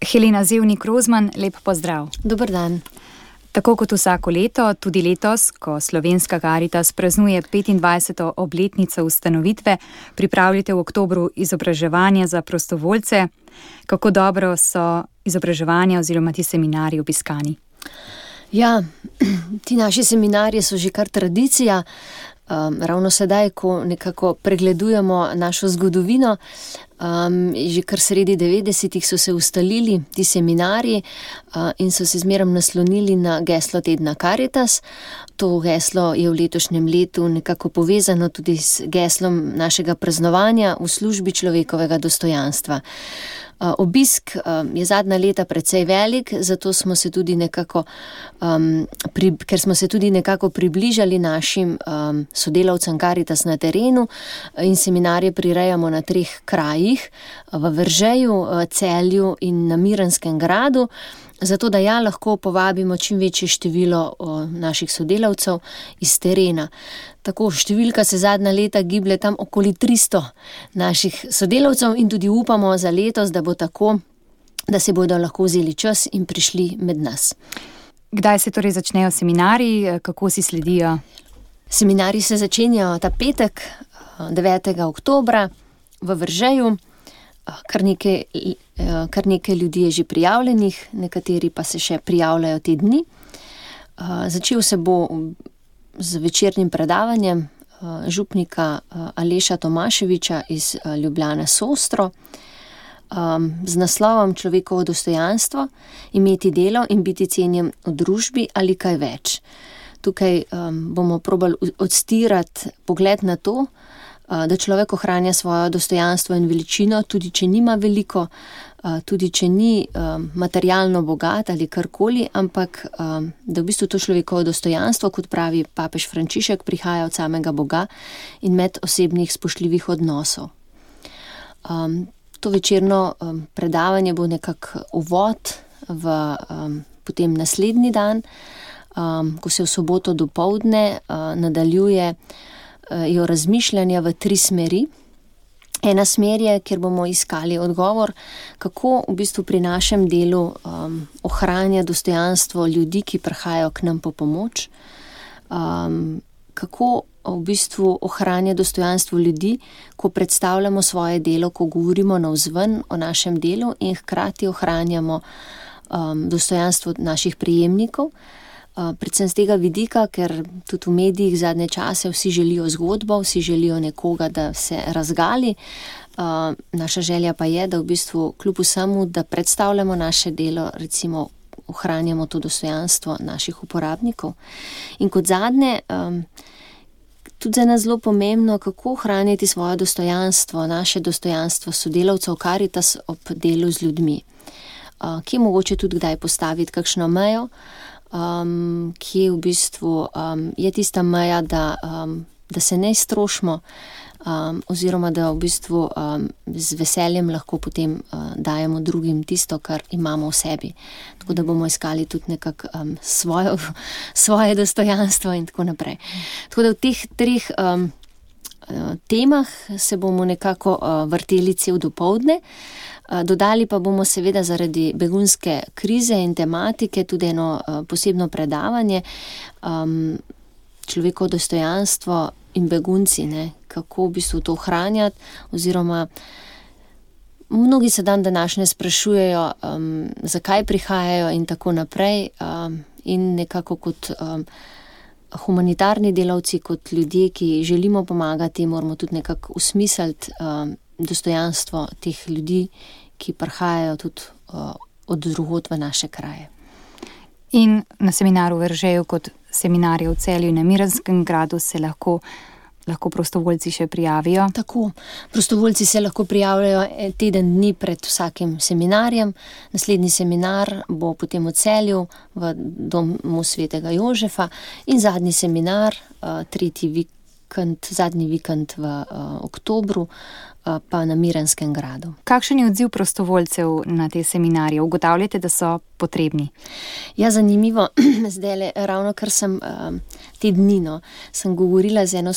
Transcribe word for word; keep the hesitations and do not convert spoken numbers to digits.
Helena Zevnik-Rozman, lep pozdrav. Dober dan. Tako kot vsako leto, tudi letos, ko Slovenska Karitas praznuje petindvajseto obletnico ustanovitve, pripravljate v oktobru izobraževanja za prostovoljce. Kako dobro so izobraževanja oziroma ti seminarji obiskani? Ja, ti naši seminarji so že kar tradicija. Um, ravno sedaj, ko nekako pregledujemo našo zgodovino, um, že kar sredi devetdesetih so se ustalili ti seminarji uh, in so se zmerom naslonili na geslo tedna Karitas. To geslo je v letošnjem letu nekako povezano tudi s geslom našega praznovanja v službi človekovega dostojanstva. Uh, obisk um, je zadnja leta precej velik, zato smo se tudi nekako, um, pri, ker smo se tudi nekako približali našim um, sodelavcem Karitas na terenu in seminarje prirejamo na treh krajih, v Veržeju, Celju in na Miranskem gradu, zato da ja lahko povabimo čim večje število o, naših sodelavcev iz terena. Tako številka se zadnja leta giblje tam okoli tristo naših sodelavcev in tudi upamo za letos, da bo tako, da se bodo lahko vzeli čas in prišli med nas. Kdaj se torej začnejo seminarji, kako si sledijo? Seminarji se začenjajo ta petek, devetega oktobra v Veržeju. Kar nekaj, kar nekaj ljudi je že prijavljenih, nekateri pa se še prijavljajo te dni. Začel se bo z večernim predavanjem župnika Aleša Tomaševiča iz Ljubljane Sostro z naslovom Človekovo dostojanstvo, imeti delo in biti cenjen v družbi ali kaj več. Tukaj bomo probali odstirati pogled na to, da človek ohranja svojo dostojanstvo in veličino, tudi če nima veliko, tudi če ni materialno bogat ali karkoli, ampak da v bistvu to človekovo dostojanstvo, kot pravi papež Frančišek, prihaja od samega Boga in medosebnih spoštljivih odnosov. To večerno predavanje bo nekako uvod v potem naslednji dan, ko se v soboto dopoldne nadaljuje jo razmišljanja v tri smeri. Ena smer je, kjer bomo iskali odgovor, kako v bistvu pri našem delu um, ohranja dostojanstvo ljudi, ki prihajajo k nam po pomoč, um, kako v bistvu ohranja dostojanstvo ljudi, ko predstavljamo svoje delo, ko govorimo navzven o našem delu in hkrati ohranjamo um, dostojanstvo naših prejemnikov. Uh, predvsem z tega vidika, ker tudi v medijih zadnje čase vsi želijo zgodbo, vsi želijo nekoga, da se razgali. Uh, naša želja pa je, da v bistvu kljub vsemu, da predstavljamo naše delo, recimo ohranjamo to dostojanstvo naših uporabnikov. In kot zadnje, um, tudi za nas zelo pomembno, kako ohraniti svoje dostojanstvo, naše dostojanstvo sodelavcev Karitas ob delu z ljudmi. Uh, kje mogoče tudi kdaj postaviti kakšno mejo, Um, ki v bistvu um, je tista meja, da, um, da se ne strošimo um, oziroma da v bistvu um, z veseljem lahko potem uh, dajemo drugim tisto, kar imamo v sebi. Tako da bomo iskali tudi nekako um, svojo, svoje dostojanstvo in tako naprej. Tako da v teh treh um, temah se bomo nekako uh, vrteli cel dopoldne. Dodali pa bomo seveda zaradi begunske krize in tematike tudi eno uh, posebno predavanje, um, človekovo dostojanstvo in begunci, ne, kako v bistvu to ohranjati, oziroma mnogi se dan današnje sprašujejo, um, zakaj prihajajo in tako naprej, um, in nekako kot um, humanitarni delavci, kot ljudje, ki želimo pomagati, moramo tudi nekako usmisliti um, dostojanstvo teh ljudi, ki prihajajo tudi uh, od drugod v naše kraje. In na seminaru v Veržeju kot seminarje v Celju in na Miranskem gradu se lahko, lahko prostovoljci še prijavijo? Tako, prostovoljci se lahko prijavljajo teden dni pred vsakim seminarjem. Naslednji seminar bo potem v Celju v domu svetega Jožefa in zadnji seminar, uh, tretji vikend, zadnji vikend v uh, oktobru, pa na Miranskem gradu. Kakšen je odziv prostovoljcev na te seminarje? Ugotavljate, da so potrebni? Ja, zanimivo. Zdajle, ravno kar sem um, te dni, no, sem govorila z eno